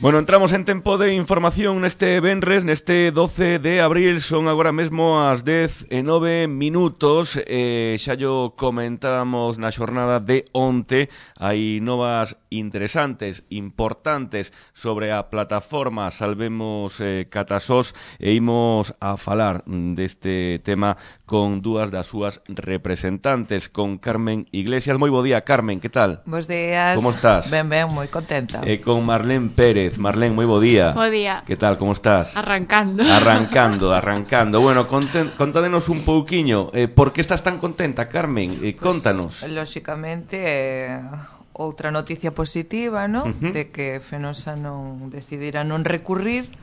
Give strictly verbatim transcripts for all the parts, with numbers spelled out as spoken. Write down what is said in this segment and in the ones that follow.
Bueno, entramos en tempo de información neste venres, neste doce de abril, son agora mesmo as dez e nove minutos, eh, xa yo comentábamos na xornada de onte, hai novas interesantes, importantes sobre a plataforma Salvemos eh, Catasós e imos a falar deste tema con dúas das súas representantes, con Carmen Iglesias. Moi bo día, Carmen, que tal? Bos días. Como estás? Ben, ben, moi contenta. E con Marlene Pérez. Marlene, moi bo día. Bo día. Que tal, como estás? Arrancando. Arrancando, arrancando. Bueno, conten, contádenos un pouquiño, eh, por que estás tan contenta, Carmen? Eh, contanos. Pues, lóxicamente, eh, outra noticia positiva, ¿no? Uh-huh. De que Fenosa non decidira non recurrir,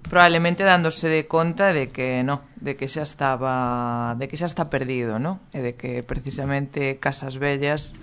probablemente dándose de conta de que no, de que xa estaba, de que xa está perdido, ¿no? E de que precisamente Casas Vellas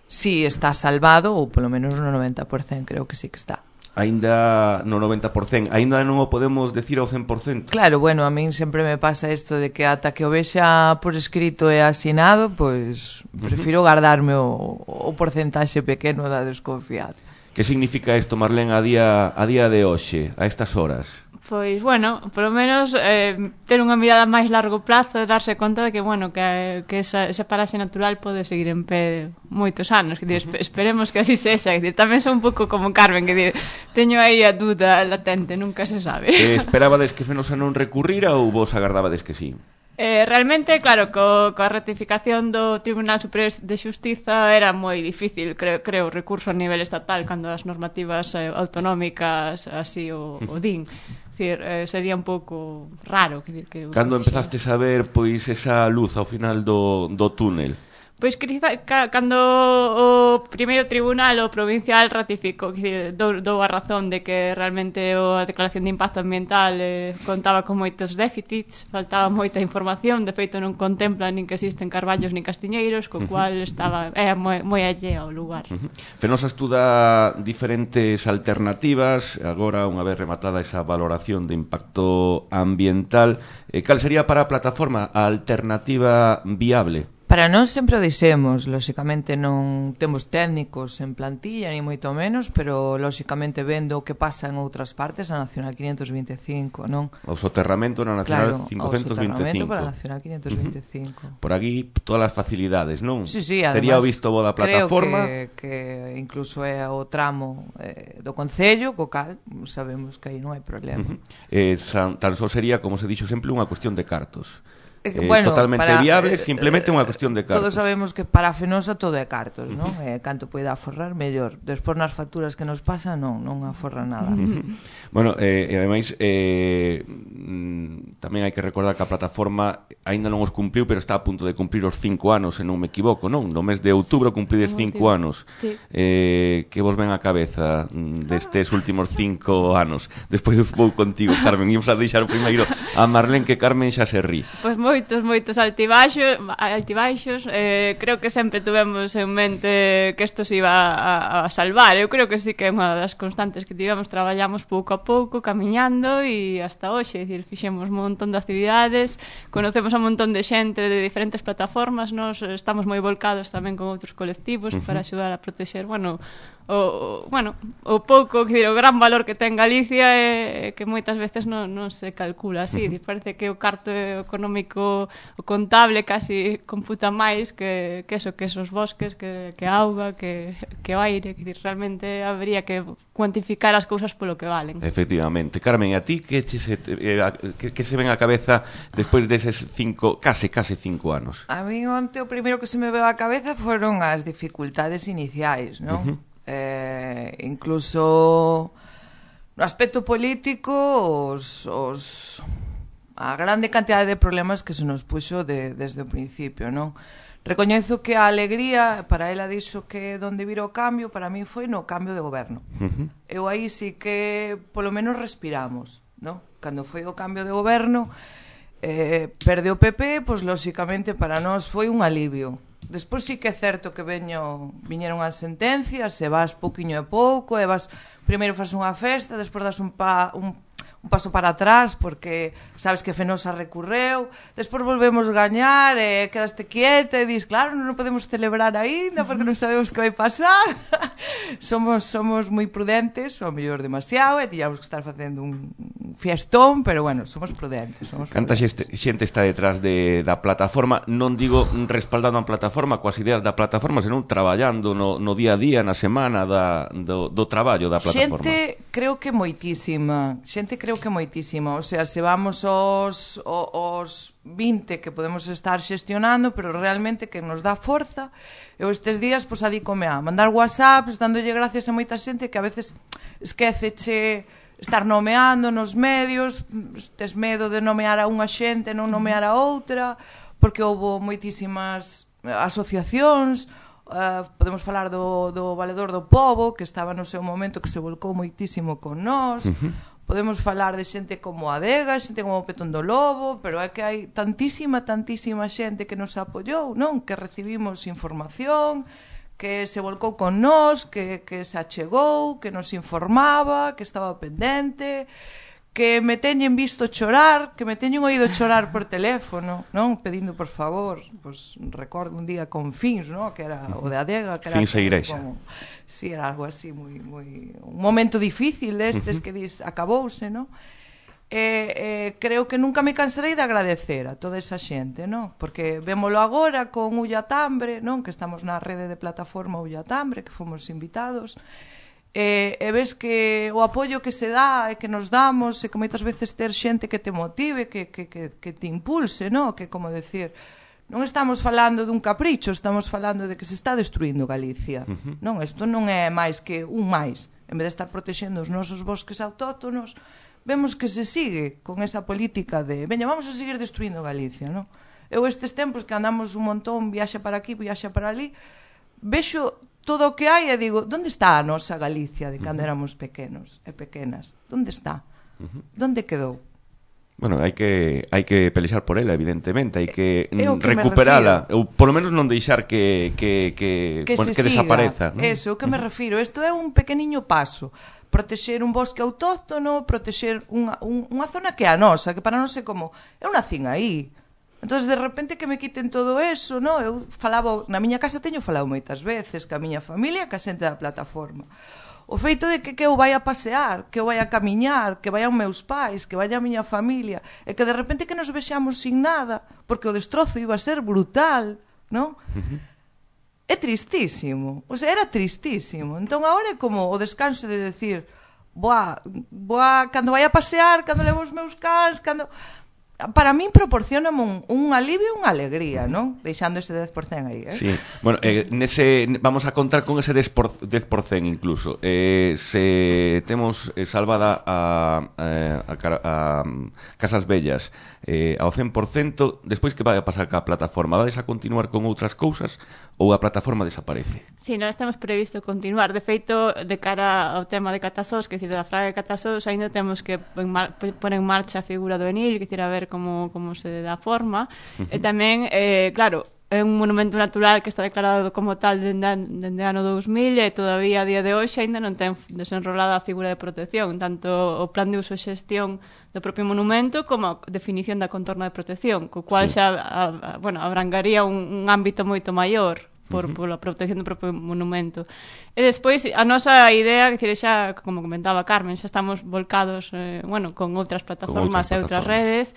sí está salvado, ou polo menos no noventa por cento creo que sí que está. Aínda no noventa por cento, aínda non o podemos decir ao cen por cento. Claro, bueno, a min sempre me pasa isto de que ata que o vexa por escrito e asinado, pois prefiro guardarme o, o porcentaxe pequeno da desconfianza. Que significa isto, Marlene, a día, a día de hoxe, a estas horas? Pois, bueno, polo menos eh, ter unha mirada máis largo plazo e darse conta de que, bueno, que, que esa, esa paraxe natural pode seguir en pé moitos anos, que dir, uh-huh. esperemos que así sexa, que dir, tamén son un pouco como Carmen, que dir, teño aí a dúda latente, nunca se sabe. Eh, esperabades que Fenosa non recurrira ou vos agardabades que sí? Eh, realmente, claro, co, coa ratificación do Tribunal Superior de Xustiza era moi difícil, creo, creo recurso a nivel estatal cando as normativas eh, autonómicas así o, o din. Decir, eh, sería un pouco raro que, que cando empezastes a ver pois esa luz ao final do, do túnel? Pois quizá, ca, cando o primeiro tribunal o provincial ratificou, que dou, dou a razón de que realmente o, a declaración de impacto ambiental eh, contaba con moitos déficits, faltaba moita información, de feito non contempla nin que existen carballos nin castiñeiros, co cual estaba é moi, moi allea ao lugar. Uh-huh. Fenosa estuda diferentes alternativas, agora unha vez rematada esa valoración de impacto ambiental, eh, cal sería para a plataforma a alternativa viable? Para nós sempre o dixemos, lóxicamente non temos técnicos en plantilla, ni moito menos, pero lóxicamente vendo o que pasa en outras partes, a Nacional quinientos veinticinco, non? O soterramento na Nacional claro, quinhentos veinticinco. O soterramento para a Nacional quinientos veinticinco. Uh-huh. Por aquí todas as facilidades, non? Sí, sí, además, tería o visto bo da plataforma. Creo que, que incluso é o tramo eh, do Concello, co cal sabemos que aí non hai problema. Uh-huh. eh, san, tan só sería, como se dixo sempre, unha cuestión de cartos. Eh, eh, bueno, totalmente para, viable, eh, simplemente unha cuestión de cartos. Todos sabemos que para a Fenosa todo é cartos, non? Eh, canto poida aforrar, mellor. Despois nas facturas que nos pasan, non, non aforra nada. Bueno, eh, e ademais eh, mm, tamén hai que recordar que a plataforma aínda non os cumpriu, pero está a punto de cumprir os cinco anos, se non me equivoco, non? No mes de outubro cumprides cinco anos. Sí. Eh, que vos ven a cabeza destes últimos cinco anos? Despois vou contigo, Carmen, ímos a deixar o primeiro a Marlene, que Carmen xa se rí. Pois moitos, moitos altibaixos, altibaixos eh, creo que sempre tuvemos en mente que isto se iba a, a salvar. Eu creo que sí que é unha das constantes que tivemos, traballamos pouco a pouco, camiñando e hasta hoxe, é dicir, fixemos un montón de actividades, conocemos a un montón de xente de diferentes plataformas, nos estamos moi volcados tamén con outros colectivos uh-huh. para axudar a protexer, bueno, o, bueno, o pouco, que dir, o gran valor que ten Galicia é que moitas veces non, non se calcula así, uh-huh. parece que o carto económico o contable casi computa máis que, que eso, que esos bosques, que, que a auga, que, que o aire, que realmente habría que cuantificar as cousas polo que valen. Efectivamente. Carmen, a ti que, che se, eh, que, que se ven a cabeza despois deses cinco, case, case cinco anos? A mí onte o primeiro que se me veo a cabeza foron as dificultades iniciais, non? Uh-huh. Eh, incluso no aspecto político os... os a grande cantidade de problemas que se nos puxo de, desde o principio, non? Recoñezo que a alegría, para ela dixo que donde vira o cambio, para mí foi no cambio de goberno. Uh-huh. Eu aí sí que polo menos respiramos, non? Cando foi o cambio de goberno, eh, perde o P P, pois lóxicamente para nós foi un alivio. Despois sí que é certo que veño, viñeron as sentencias, e vas pouquiño e pouco, e vas, primeiro fas unha festa, despois das un pa... un un paso para atrás, porque sabes que Fenosa recurreu, despois volvemos gañar, e quedaste quieta e dis, claro, non podemos celebrar aínda porque non sabemos que vai pasar. somos somos moi prudentes, ou mellor demasiado, e tiñamos que estar facendo un fiestón, pero bueno, somos prudentes. Somos Canta xente, xente está detrás de, da plataforma, non digo respaldando a plataforma coas ideas da plataforma, senón traballando no, no día a día, na semana da, do, do traballo da plataforma. Xente, creo que moitísima, xente creo que moitísima, o sea, se vamos aos, aos vinte que podemos estar xestionando, pero realmente que nos dá forza. Eu estes días, pois, adícome a mandar whatsapps, dándolle gracias a moita xente que a veces esquéceche estar nomeando nos medios, tes medo de nomear a unha xente, non nomear a outra, porque houve moitísimas asociacións. Uh, podemos falar do, do Valedor do Pobo, que estaba no seu momento, que se volcou moitísimo con nós. Uh-huh. Podemos falar de xente como Adega, xente como Petón do Lobo, pero é que hai tantísima, tantísima xente que nos apoiou, non? Que recibimos información, que se volcou con nós, que, que se achegou, que nos informaba, que estaba pendente, que me teñen visto chorar, que me teñen oído chorar por teléfono, non? Pedindo por favor, pois recordo un día con Fins, non? Que era o de Adega, que era Fins e Igrexa. Como, si, sí, era algo así moi moi un momento difícil destes uh-huh. que dis acabouse, non? E eh, creo que nunca me cansarei de agradecer a toda esa xente, non? Porque vémolo agora con Ullatambre, non? Que estamos na rede de plataforma Ullatambre, que fomos invitados. E, e ves que o apoio que se dá e que nos damos e que moitas veces ter xente que te motive, que, que, que, que te impulse, non? Que, como decir, non estamos falando dun capricho, estamos falando de que se está destruindo Galicia, uh-huh. non? Isto non é máis que un máis. En vez de estar protexendo os nosos bosques autóctonos, vemos que se sigue con esa política de veña, vamos a seguir destruindo Galicia, non? Eu estes tempos que andamos un montón, viaxa para aquí, viaxa para ali, vexo todo o que hai e digo, onde está a nosa Galicia de cando uh-huh. éramos pequenos e pequenas? Onde está? Uh-huh. Onde quedou? Bueno, hai que hai que pelexar por ela, evidentemente, hai que, que recuperala, ou polo menos non deixar que que que, que, bueno, que desapareza, ¿no? Eso, o que me refiro, isto é un pequeniño paso. Protexer un bosque autóctono, protexer unha, un, unha zona que é a nosa, que para non sei como, eu nacín aí. Entón, de repente que me quiten todo eso, no? Eu falaba, na miña casa teño falado moitas veces ca miña familia, ca xente da plataforma. O feito de que, que eu vai a pasear, que eu vai a camiñar, que vayan meus pais, que vaya a miña familia, e que de repente que nos vexamos sin nada, porque o destrozo iba a ser brutal, non? Uh-huh. É tristísimo, o sea, era tristísimo. Entón, agora é como o descanso de decir, boa, boa, cando vai a pasear, cando levo os meus cans, cando... Para min proporciona un, un alivio e unha alegría, non? Deixando ese dez por cento aí, eh? Sí, bueno, eh, nese, vamos a contar con ese dez por cento incluso. Eh, se temos eh, salvada a, a, a, a Casas Bellas eh, ao cen por cento, despois que vai a pasar ca plataforma? Vades a continuar con outras cousas ou a plataforma desaparece? Sí, nós temos previsto continuar. De feito, de cara ao tema de Catasós, que decir, da Fraga de Catasós, ainda temos que poner en marcha a figura do Enil, que decir, a ver como, como se dá forma. Uh-huh. E tamén, eh, claro, é un monumento natural que está declarado como tal dende, dende ano dous mil e todavía a día de hoxe ainda non ten desenrolada a figura de protección, tanto o plan de uso e xestión do propio monumento como a definición da contorna de protección, co cual sí. xa a, a, bueno, abrangaría un, un ámbito moito maior por, uh-huh. pola protección do propio monumento. E despois, a nosa idea, que xa, como comentaba Carmen, xa estamos volcados eh, bueno, con outras plataformas e outras redes.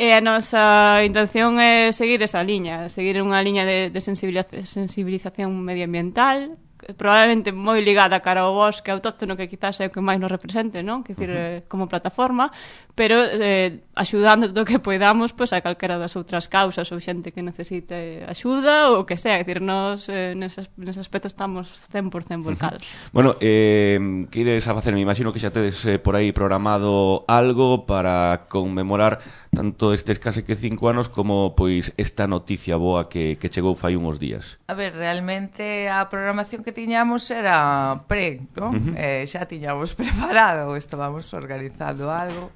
E a nosa intención é seguir esa liña, seguir unha liña de, de sensibilización medioambiental, probablemente moi ligada cara ao bosque autóctono, que quizás é o que máis nos represente, non? Que decir, uh-huh. como plataforma, pero eh, axudando todo o que poidamos pois, a calquera das outras causas ou xente que necesite axuda ou que sea, é dicir, nos eh, nese, nese aspecto estamos cen por cento volcados. Uh-huh. Bueno, eh, que ides a facer? Me imagino que xa tedes eh, por aí programado algo para conmemorar tanto estes case que cinco anos como pois esta noticia boa que, que chegou fai uns días. A ver, realmente a programación que que tiñamos era pre, ¿no? Uh-huh. eh, xa tiñamos preparado, estábamos organizando algo.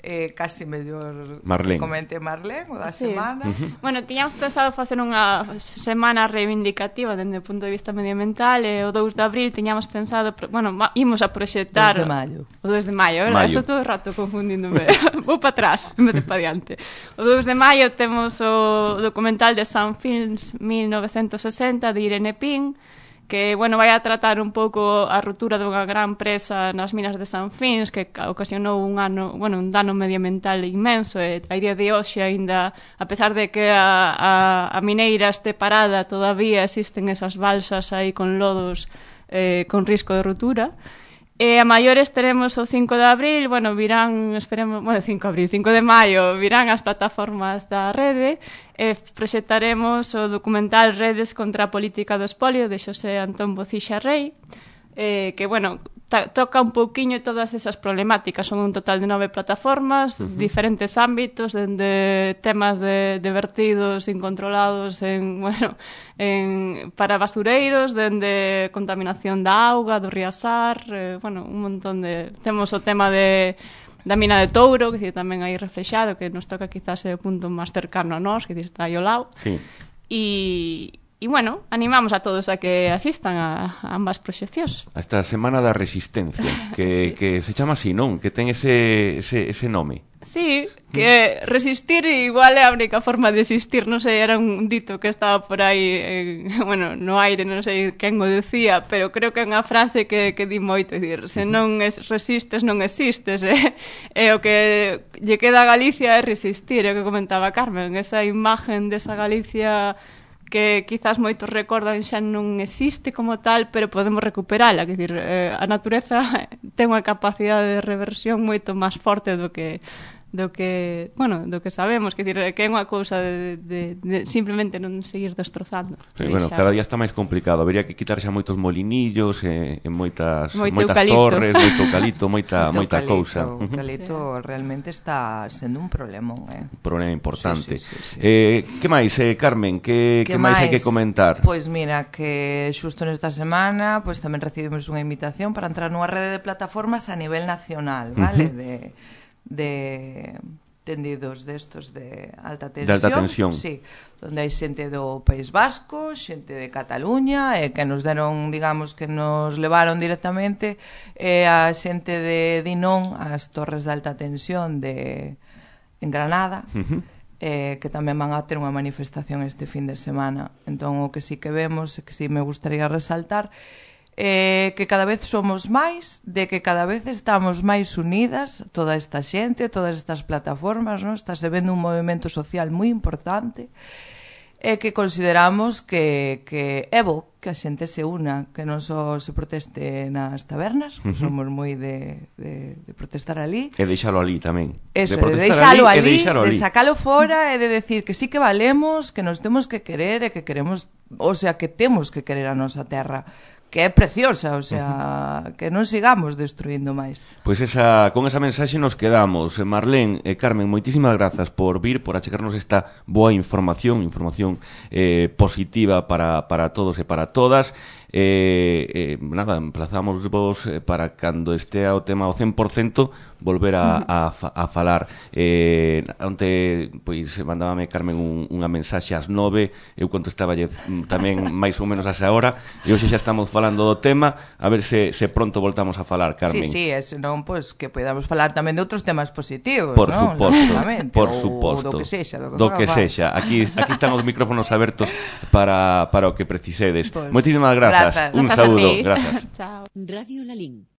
Eh, casi mellor Marlén. Comente Marlén o da sí. semana. Uh-huh. Bueno, tiñamos pensado facer unha semana reivindicativa dende o punto de vista medioambiental e o dous de abril tiñamos pensado, bueno, imos a proxectar dous de maio. O dous de maio, verdad? Estou todo o rato confundíndome. Vou para atrás, en vez de para diante. O dous de maio temos o documental de Sanfilms mil novecentos sesenta de Irene Pin, que, bueno, vai a tratar un pouco a ruptura dunha gran presa nas minas de Sanfins que ocasionou un ano, bueno, un dano medioambiental inmenso e a día de hoxe aínda, a pesar de que a, a, a mineira este parada, todavía existen esas balsas aí con lodos eh, con risco de ruptura. E a maiores teremos o cinco de abril, bueno, virán, esperemos, bueno, cinco de abril, cinco de maio, virán as plataformas da rede, e proxectaremos o documental Redes contra a política do espolio de Xosé Antón Bocixa Rei, eh, que, bueno, ta, toca un pouquiño todas esas problemáticas, son un total de nove plataformas, uh-huh. diferentes ámbitos, dende temas de, de vertidos incontrolados en, bueno, en, para basureiros, dende contaminación da auga, do riasar, eh, bueno, un montón de... Temos o tema de da mina de Touro, que tamén aí reflexado, que nos toca quizás o punto máis cercano a nós, que está aí ao lado. Sí. E... E, bueno, animamos a todos a que asistan a, a ambas proxeccións. A esta Semana da Resistencia, que, sí. que se chama así, non? Que ten ese, ese, ese nome. Sí, que resistir igual é a única forma de existir, non sei, era un dito que estaba por aí, en, bueno, no aire, non sei quen o decía, pero creo que é unha frase que, que di moito, dicir, se non es, resistes, non existes, eh? E o que lle queda a Galicia é resistir, é o que comentaba Carmen, esa imagen desa Galicia que quizás moitos recordan xa non existe como tal, pero podemos recuperala, que dicir, eh, a natureza ten unha capacidade de reversión moito máis forte do que do que, bueno, do que sabemos, que dicir, que é unha cousa de, de, de simplemente non seguir destrozando. Sí, bueno, cada día está máis complicado, habería que quitar xa moitos molinillos e, e moitas, moito moitas eucalipto. torres, moito eucalipto, moita, moita cousa. O eucalipto realmente está sendo un problema, eh? Un problema importante. Sí, sí, sí, sí. Eh, que máis, eh, Carmen? Que, que máis hai que comentar? Pois pues mira, que xusto nesta semana pues tamén recibimos unha invitación para entrar nunha rede de plataformas a nivel nacional, vale? Uh-huh. De de tendidos destos de alta tensión, de alta tensión. Sí, onde hai xente do País Vasco, xente de Cataluña, e que nos deron, digamos, que nos levaron directamente, e a xente de Dinón, as torres de alta tensión de en Granada, uh-huh. eh, que tamén van a ter unha manifestación este fin de semana. Entón, o que sí que vemos, e que sí me gustaría resaltar, Eh, que cada vez somos máis, de que cada vez estamos máis unidas, toda esta xente, todas estas plataformas, ¿no? Está se vendo un movimento social moi importante, e que consideramos que, que é bo que a xente se una, que non só se proteste nas tabernas, uh-huh. somos moi de, de, de protestar ali. E deixalo ali tamén. Eso, de de deixalo ali, ali, ali, de sacalo fora e de decir que sí que valemos, que nos temos que querer e que queremos, o sea, que temos que querer a nosa terra, que é preciosa, o sea, uh-huh. que non sigamos destruindo máis. Pois pues esa, con esa mensaxe nos quedamos. Marlén e Carmen, moitísimas grazas por vir, por achegarnos esta boa información, información eh, positiva para, para todos e para todas. Eh, eh, nada, emplazamos vos para cando estea o tema ao cen por cento volver a, a, a falar. Eh, onte, pois, mandábame Carmen un, unha mensaxe ás nove, eu contestaba tamén máis ou menos a esa hora, e hoxe xa estamos falando do tema, a ver se, se pronto voltamos a falar, Carmen. Sí, sí, e senón, pois, que podamos falar tamén de outros temas positivos, por ¿no? Suposto, por ou, suposto. do que sexa, do que, do que sexa. Aquí, aquí están os micrófonos abertos para, para o que precisedes. Pues, moitísimas grazas. Grazas. Un Grazas saúdo. Gracias. Chao. Radio Lalín.